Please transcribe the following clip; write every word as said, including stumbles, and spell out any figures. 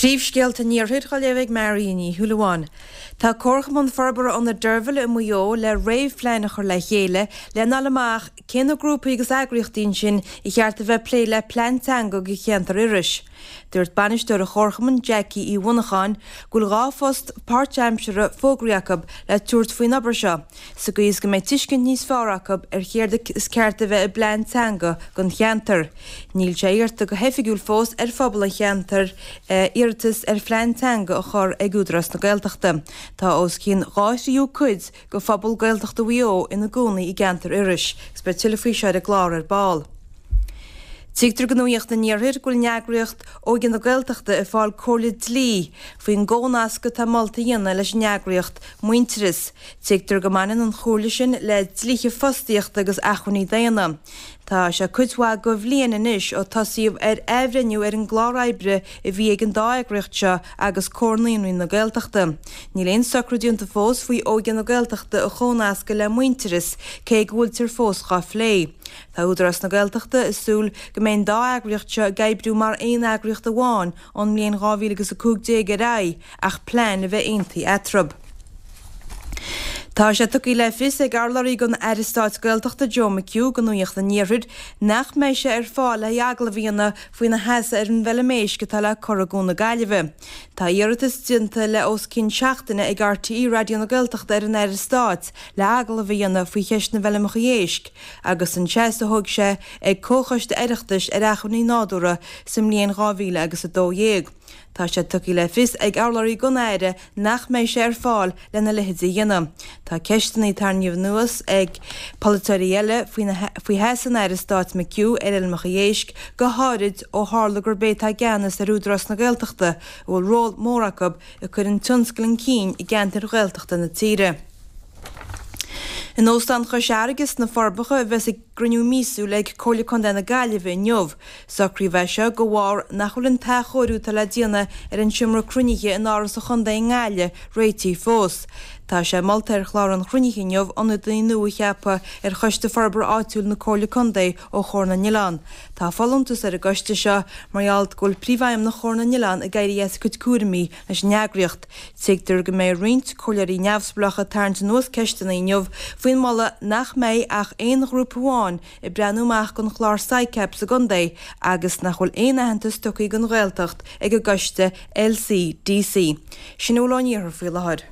Príomhscéalta an Iarthair á léamh ag Marion Ní Shúilleabháin. Tá Comharchumann Forbartha Ionad Deirbhile i Maigh Eo le réamhphlean a chur le chéile lena fháil amach cé na grúpaí agus eagraíochtaí ansin ar cheart a bheith ag plé le plean teanga do cheantar Iorrais. Dúirt bainisteoir an Chomharchumainn Jackie Uí Mhonacháin go bhfuil dhá phost páirtaimseartha fógraithe acu le tabhairt faoin obair seo, sa gcaoi is go mbeidh tuiscint níos fearr acu ar chéard is ceart a bheith i bplean teanga don cheantar. Níl sé iarrta go hoifigiúil fós ar phobal an cheantair iarratas ar phlean teanga a chur ag Údarás na Gaeltachta. Tá os cionn dhá thríú cuid de phobal Gaeltachta Mhaigh Eo ina gcónaí i gceantar Iorrais, agus beidh tuilleadh faoi seo ar an gclár ar ball. Tuigtear do Nuacht an Iarthair go bhfuil an eagraíocht Óige na Gaeltachta ag fáil comhairle dlí faoin gcónascadh atá molta a dhéanamh leis an eagraíocht Muintearas. Tuigtear go mbaineann an chomhairle sin le dlíthe fostaíochta agus acmhainní daonna. Tá sé cuid mhaith de bhliain anois ó tosaíodh ar athbhreithniú ar an gclár oibre a bhí ag an dá eagraíocht seo agus Comhar Naíonraí na Gaeltachta. Níl aon socrú déanta fós faoi Óige na Gaeltachta a chónascadh le Muintearas, cé go bhfuiltear fós dhá phlé. Tá Údarás na Gaeltachta ag súil go mbeidh an dá eagraíocht seo ag oibriú mar aon eagraíocht amháin ón mbliain dhá mhíle agus a cúig déag ar aghaidh ach plean a bheith aontaithe eatarthu. Tá sé tugtha le fios ag urlabhraí don Aire Stáit Gaeltachta Joe McHugh do Nuacht an Iarthair nach mbeidh sé ar fáil le haghaidh agallamh a dhéanamh faoina sheasamh ar an bhfeilm éisc atá le cur i gCuan na Gaillimhe. Tá iarratas déanta le os cionn seachtaine ag RTÉ Raidió na Gaeltachta ar an Aire Stáit le agallamh a dhéanamh faoi cheist na bhfeilmeacha éisc agus an seasamh a thóg sé ag Comhchoiste Oireachtais ar Acmhainní Nádúrtha sa mbliain dhá mhíle agus a dó dhéag. Tá sé tugtha le fios ag urlabhraí don Aire nach mbeidh sé ar fáil lena leithéid a dhéanamh. Tá ceisteanna tarraingthe anuas ag polaiteoirí eile faoi sheasamh an Aire Stáit McHugh ar fheilmeacha éisc, go háirid ó tharla gurb é atá i gceannas ar Údarás na Gaeltachta, a bhfuil ról mór acu ag cur an tionscail chun cinn i gceantair Ghaeltachta na tíre. In Óstán Chois Fharraige sna Forbacha a bheas an cruinniú míosúil ag Comhairle Contae na Gaillimhe inniu. Socraíodh é seo de bharr nach bhfuil an t-athchóiriú atá le déanamh ar an seomra cruinnithe in Áras an Chontae i nGaillimh réitithe fós. Tá sé molta ar chlár an chruinnithe inniu ionadaí nua a cheapadh ar Choiste Forbartha Áitiúil na Comhairle Contae ó Chomhar na nOileán. Tá folúntas ar an gcoiste seo mar gheall go bhfuil Príomhfheidhmeannach Chomhar na nOileán ag éirí as a cuid cúraimí leis an eagraíocht. Tuigtear go mbeidh roinnt comhairleoirí neamhspleácha ag tarraingt anuas ceisteanna inniu faoin moladh nach mbeidh ach aon ghrúpa amháin ag breathnú amach don chlár SICAP sa gcontae agus nach bhfuil aon aitheantas tugtha don Ghaeltacht ag an gcoiste LCDC. Sin a bhfuil ón iarthar faoi láthair.